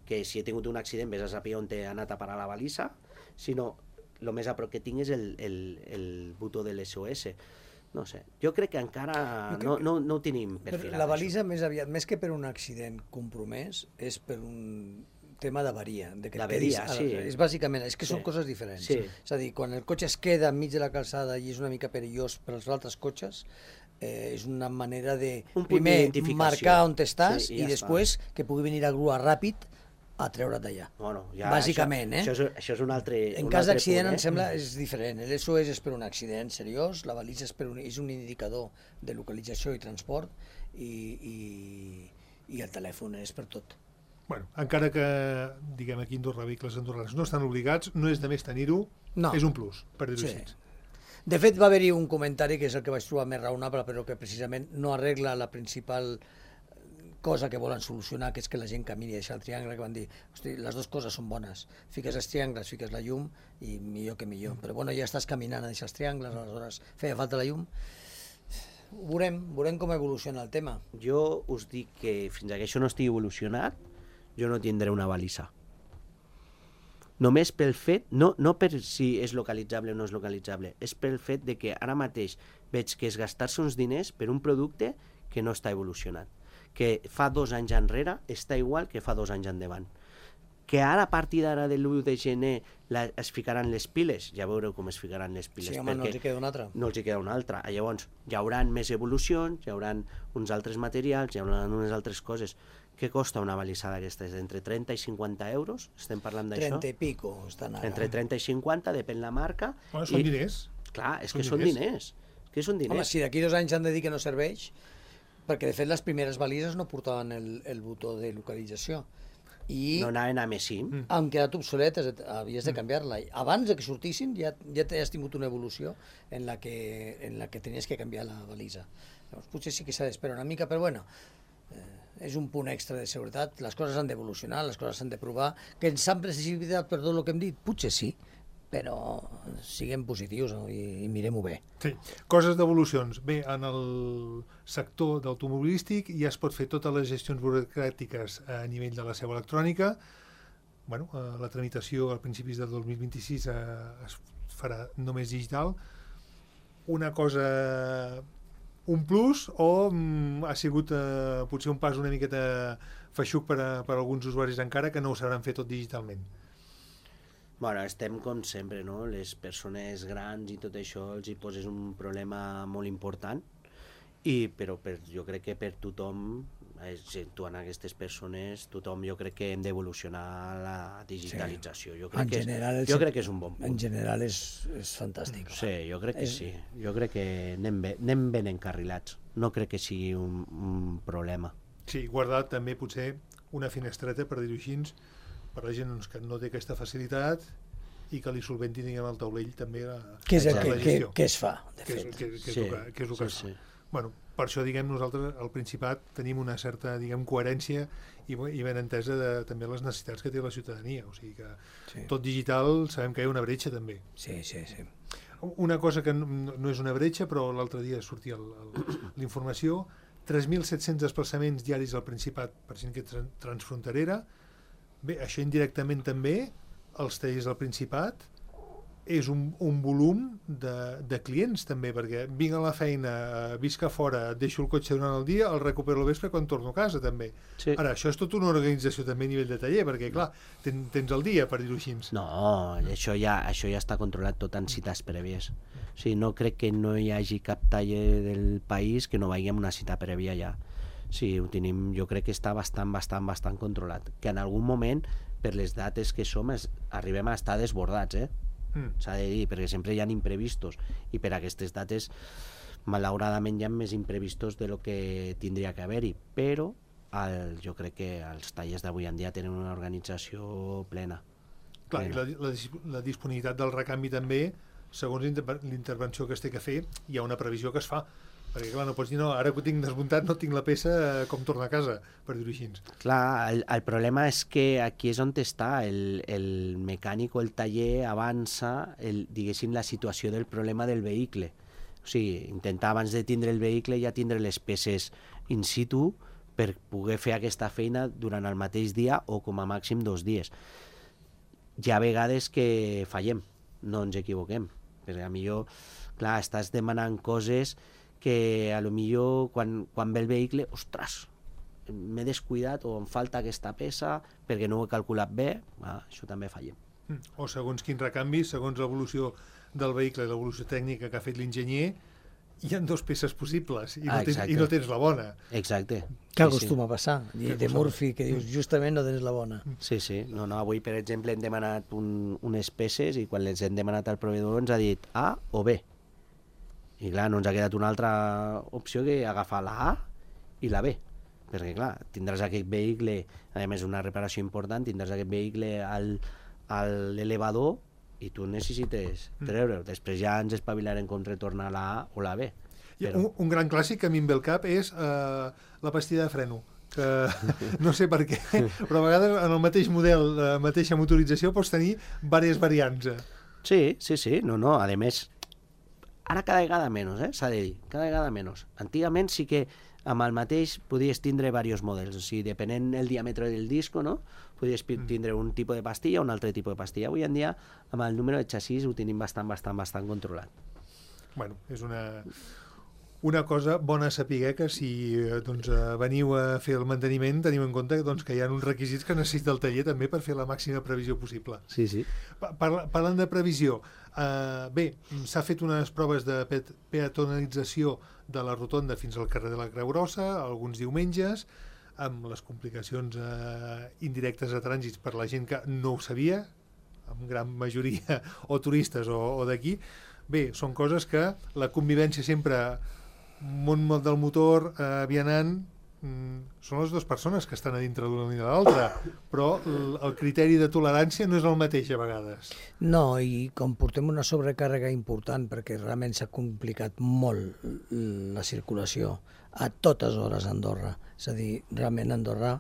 que si he tingut un accident vés a saber on he anat a parar la balissa, sinó el més a prop que tinc és el, el, el botó de l'S O S. No sé, jo crec que encara Jo crec no, que- no, no ho tenim Però perfilat. la això. balisa més aviat, més que per un accident compromès, és per un tema d'avaria. De que et D'avaria, quedis- sí. És bàsicament, és que Sí. són coses diferents. Sí. És a dir, quan el cotxe es queda enmig de la calçada i és una mica perillós per als altres cotxes, eh, és una manera de, Un punt primer, d'identificació. marcar on estàs Sí, i i, ja després que pugui venir la grua ràpid a treure't d'allà. Bueno, ja Bàsicament, això, eh? Això és, això és un altre En un cas altre d'accident, punt, em sembla, és diferent. L'S O S és per un accident seriós, la balisa és, per un, és un indicador de localització i transport i, i, i el telèfon és per tot. Bueno, encara que, diguem, aquí a Andorra, vehicles andorrans no estan obligats, no és de més tenir-ho, No. és un plus, per dir-ho Sí. així. De fet, va haver-hi un comentari que és el que vaig trobar més raonable, però que precisament no arregla la principal cosa que volen solucionar, que és que la gent camini i deixar el triangle, que van dir, hosti, les dues coses són bones. Fiques els triangles, fiques la llum, i millor que millor. Però bueno, ja estàs caminant a deixar els triangles, aleshores feia falta la llum. Ho veurem, veurem com evoluciona el tema. Jo us dic que fins que això no estigui evolucionat, jo no tindré una balisa. Només pel fet, no, no per si és localitzable o no és localitzable, és pel fet de que ara mateix veig que és gastar-se uns diners per un producte que no està evolucionat, que fa dos anys enrere està igual que fa dos anys endavant. Que ara, a partir d'ara de l'u de gener, la, es ficaran les piles, ja veureu com es ficaran les piles. Sí, home, no els hi queda una altra. No els hi queda una altra. Llavors, hi haurà més evolucions, hi haurà uns altres materials, hi haurà unes altres coses. Què costa una balisa d'aquestes? Entre trenta i cinquanta euros? Estem parlant d'això? trenta i pico estan ara. Entre trenta i cinquanta, depèn la marca. Bueno, són i... diners. Clar, és Són que són diners. diners. És que són diners. Home, si d'aquí dos anys han de dir que no serveix, perquè de fet les primeres balises no portaven el, el botó de localització. I No anaven a Messim. Mm. han quedat obsoletes, havies de canviar-la. Abans de que sortissin ja, ja has tingut una evolució en la que, en la que tenies que canviar la balisa. Llavors, potser sí que s'ha d'esperar una mica, però bueno, eh, és un punt extra de seguretat. Les coses han d'evolucionar, les coses s'han de provar. Que ens han precipitat per tot el que hem dit? Potser sí, però siguem positius, no? I, i mirem-ho bé. Sí. Coses d'evolucions. Bé, en el sector d'automobilístic ja es pot fer totes les gestions burocràtiques a nivell de la seu electrònica. Bueno, eh, la tramitació a principis del dos mil vint-i-sis eh, es farà només digital. Una cosa, un plus, o mm, ha sigut eh, potser un pas una miqueta feixuc per a, per a alguns usuaris encara que no ho sabran fer tot digitalment. Bueno, estem com sempre, no? Les persones grans i tot això els hi poses un problema molt important, i, però per, jo crec que per tothom, exceptuant aquestes persones, tothom jo crec que hem d'evolucionar la digitalització. Jo crec, En que, general, és, jo crec que és un bon punt. En general és, és fantàstic. Sí, jo crec que És- sí. Jo crec que anem, bé, anem ben encarrilats. No crec que sigui un, un problema. Sí, guardar també potser una finestreta, per dir-ho així, per la gent doncs, que no té aquesta facilitat i que li solventi, diguem, el taulell també la, Què és el la que, que, gestió. que es fa, de Què és, fet? què, què és Sí, el que, què és el que sí, es fa. sí. Bueno, per això, diguem, nosaltres al Principat tenim una certa, diguem, coherència i, i ben entesa de també les necessitats que té la ciutadania. O sigui que Sí. tot digital sabem que hi ha una bretxa també. Sí, sí, sí. Una cosa que no, no és una bretxa, però l'altre dia sortia el- el- l'informació, tres mil set-cents desplaçaments diaris al Principat per gent que és tran- transfronterera. Bé, això indirectament també, els tallers del Principat, és un, un volum de, de clients també, perquè vinc a la feina, eh, visc a fora, et deixo el cotxe durant el dia, el recupero al vespre quan torno a casa també. Sí. Ara, això és tota una organització també a nivell de taller, perquè clar, ten, tens el dia, per dir-ho així. No, això ja, això ja està controlat tot en cites prèvies. O sigui, no crec que no hi hagi cap taller del país que no vagi amb una cita prèvia ja. Sí, ho tenim, jo crec que està bastant, bastant, bastant controlat. Que en algun moment, per les dates que som, es, arribem a estar desbordats, eh? Mm. S'ha de dir, perquè sempre hi ha imprevistos, i per aquestes dates, malauradament, hi ha més imprevistos de lo que tindria que haver-hi, però el, jo crec que els tallers d'avui en dia tenen una organització plena. Clar, i Plena. la, la, dis- la disponibilitat del recanvi també, segons l'inter- l'intervenció que es té que fer, hi ha una previsió que es fa. Perquè, clar, no pots dir, no, ara que ho tinc desmuntat no tinc la peça, eh, com tornar a casa, per dir-ho així. Clar, el, el problema és que aquí és on està, el, el mecànic o el taller avança, el, diguéssim, la situació del problema del vehicle. O sigui, intentar abans de tindre el vehicle ja tindre les peces in situ per poder fer aquesta feina durant el mateix dia o com a màxim dos dies. Hi ha vegades que fallem, no ens equivoquem, perquè a millor, clar, estàs demanant coses que a lo millor quan, quan ve el vehicle, ostres, m'he descuidat o em falta aquesta peça perquè no ho he calculat bé, ah, això també fallem. Mm. O segons quin recanvi, segons l'evolució del vehicle i l'evolució tècnica que ha fet l'enginyer, hi ha dues peces possibles i no, Ah, tens, exacte. i no tens la bona. Exacte. Què Sí, acostuma a passar? I de Murphy, que dius, justament no tens la bona. Sí, sí. No, no, avui, per exemple, hem demanat un, unes peces i quan les hem demanat al proveïdor ens ha dit A o B. I clar, no ens ha quedat una altra opció que agafar la A i la B. perquè clar, tindràs aquest vehicle, a més una reparació important, tindràs aquest vehicle al, a l'elevador i tu necessites treure-ho. Després ja ens espavilarem com retornar la A o la B. Però... Un, un gran clàssic que a mi em ve al cap és uh, la pastilla de freno, que no sé per què, però a vegades en el mateix model, la mateixa motorització, pots tenir diverses variants. Sí, sí, sí, no, no, a més, ara cada vegada menys, eh, s'ha de dir, cada vegada menys. Antigament sí que amb el mateix podies tindre diversos models, o sigui, depenent el diàmetre del disco, no? Podies tindre un tipus de pastilla o un altre tipus de pastilla. Avui en dia, amb el número de xassís ho tenim bastant, bastant, bastant controlat. Bueno, és una... Una cosa bona a saber que si doncs, veniu a fer el manteniment teniu en compte doncs, que hi ha uns requisits que necessita el taller també per fer la màxima previsió possible. Sí, sí. Parla, parlant de previsió, eh, bé, s'ha fet unes proves de pe peatonalització de la rotonda fins al carrer de la Creu Grossa, alguns diumenges, amb les complicacions eh, indirectes de trànsits per la gent que no ho sabia, en gran majoria o turistes o, o d'aquí. Bé, són coses que la convivència sempre... món del motor, eh, vianant, mm, són les dues persones que estan a dintre d'una i de l'altra, però el, el criteri de tolerància no és el mateix a vegades. No, i com portem una sobrecàrrega important, perquè realment s'ha complicat molt la circulació a totes hores a Andorra. És a dir, realment a Andorra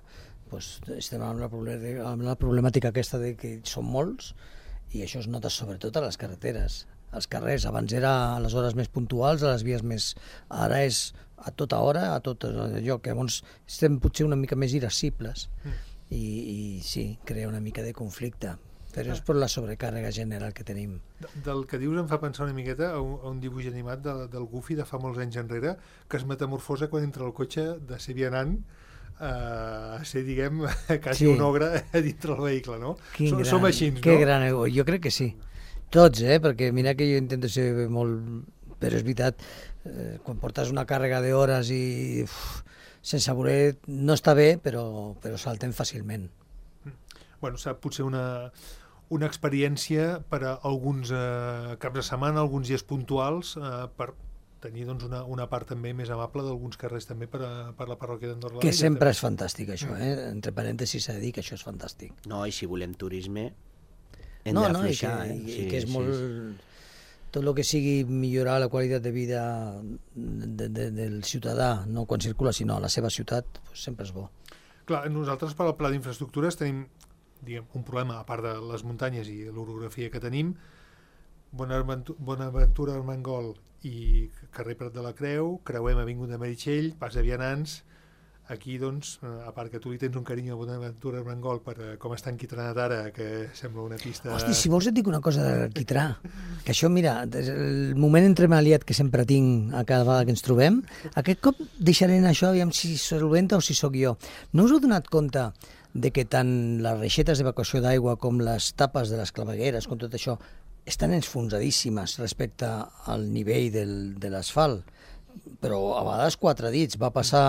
pues, estem amb la, amb la problemàtica aquesta de que són molts, i això es nota sobretot a les carreteres. Els carrers, abans era a les hores més puntuals, a les vies més... Ara és a tota hora, a tot allò, que llavors estem potser una mica més irascibles mm. i, i sí, crea una mica de conflicte, però és per la sobrecàrrega general que tenim. Del que dius em fa pensar una miqueta a un, a un dibuix animat de, del Goofy de fa molts anys enrere, que es metamorfosa quan entra al cotxe de ser vianant a ser, diguem, quasi sí. un ogre dintre el vehicle, no? Som, gran, som així, no? Que gran ego, jo crec que sí. Tots, eh? Perquè mira que jo intento ser molt... Però és veritat, eh, quan portes una càrrega d'hores i uf, sense voler no està bé, però, però salten fàcilment. Bueno, sap, potser una, una experiència per a alguns eh, caps de setmana, alguns dies puntuals, eh, per tenir doncs, una, una part també més amable d'alguns carrers també per, a, per la parròquia d'Andorra. Que sempre és fantàstic, això, eh? Entre parèntesis s'ha de dir que això és fantàstic. No, i si volem turisme... No, no, i que, eh? sí, i que és sí, molt... Sí. Tot el que sigui millorar la qualitat de vida de, de, del ciutadà, no quan circula, sinó a la seva ciutat, pues sempre és bo. Clar, nosaltres per al pla d'infraestructures tenim, diguem, un problema, a part de les muntanyes i l'orografia que tenim. Bonaventura, Bonaventura Armengol i carrer Prat de la Creu, creuem Avinguda Meritxell, pas de vianants. Aquí, doncs, a part que tu li tens un carinyo a Bonaventura Armengol per com està enquitranat ara, que sembla una pista... Hosti, si vols et dic una cosa de l'alquitrà, que això, mira, el moment entremaliat que sempre tinc a cada vegada que ens trobem, aquest cop deixaré això, aviam si solventa o si sóc jo. No us heu donat compte de que tant les reixetes d'evacuació d'aigua com les tapes de les clavegueres, com tot això, estan enfonsadíssimes respecte al nivell del, de l'asfalt? Però a vegades quatre dits. Va passar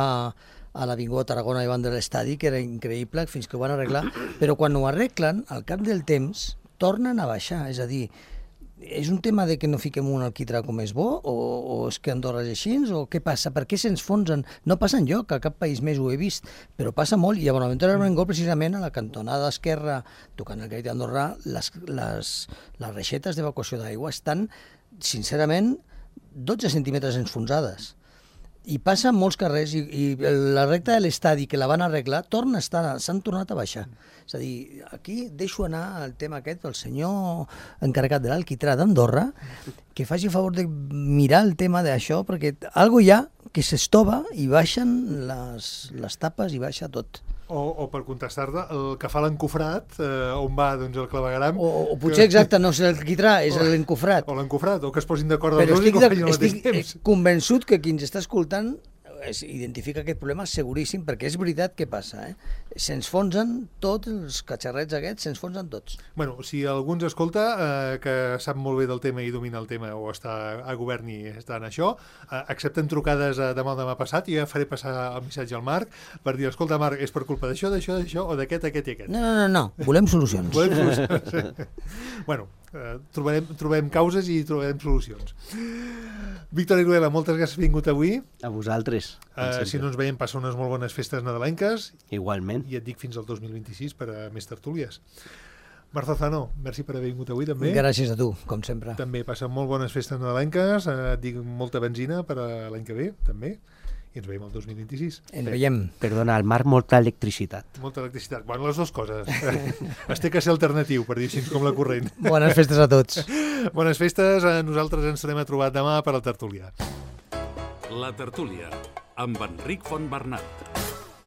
a l'Avinguda Tarragona davant de l'estadi, que era increïble, fins que ho van arreglar, però quan ho arreglen, al cap del temps, tornen a baixar. És a dir, és un tema de que no fiquem un alquitrà com és bo, o, o és que Andorra és així, o què passa? Per què s'enfonsen? No passa enlloc, a cap país més ho he vist, però passa molt, i a Bonaventura Armengol, precisament, a la cantonada esquerra, tocant el Gaita d'Andorra, les, les, les reixetes d'evacuació d'aigua estan, sincerament, dotze centímetres enfonsades. I passa en molts carrers, i, i la recta de l'estadi que la van arreglar torna a estar, s'han tornat a baixar. És a dir, aquí deixo anar el tema aquest pel senyor encarregat de l'alquitrà d'Andorra, que faci favor de mirar el tema d'això, perquè algo hi ha que s'estova i baixen les, les tapes i baixa tot. O, o per contestar-te, el que fa l'encofrat, eh, on va doncs, el clavegaram... O, o potser que... exacte, no és l'alquitrà, és l'encofrat. O l'encofrat, o que es posin d'acord els dos i que ho facin al mateix temps. Estic convençut que qui ens està escoltant es identifica aquest problema seguríssim, perquè és veritat que passa, eh? S'enfonsen tots els catxarrets aquests, s'enfonsen tots. Bueno, si algú ens escolta eh, que sap molt bé del tema i domina el tema o està a govern i està en això, eh, accepten trucades eh, demà o demà passat i ja faré passar el missatge al Marc per dir, escolta Marc, és per culpa d'això, d'això, d'això o d'aquest, aquest i aquest. No, no, no, no. Volem solucions. Volem solucions. Bueno, Uh, trobarem, trobem causes i trobarem solucions. Víctor Iruela, moltes gràcies per haver vingut avui. A vosaltres. Uh, si no ens veiem, passa unes molt bones festes nadalenques. Igualment. I et dic fins al dos mil vint-i-sis per a més tertúlies. Marzozano, merci per haver vingut avui també. Gràcies a tu, com sempre. També passa molt bones festes nadalenques. Uh, et dic molta benzina per a l'any que ve, també. I ens veiem el dos mil vint-i-sis. Ens veiem. Perdona, al mar molta electricitat. Molta electricitat. Bueno, les dues coses. Es té que ser alternatiu, per dir així com la corrent. Bones festes a tots. Bones festes. Nosaltres ens tornem a trobar demà per al Tertúlia. La Tertúlia, amb Enric Fontbernat.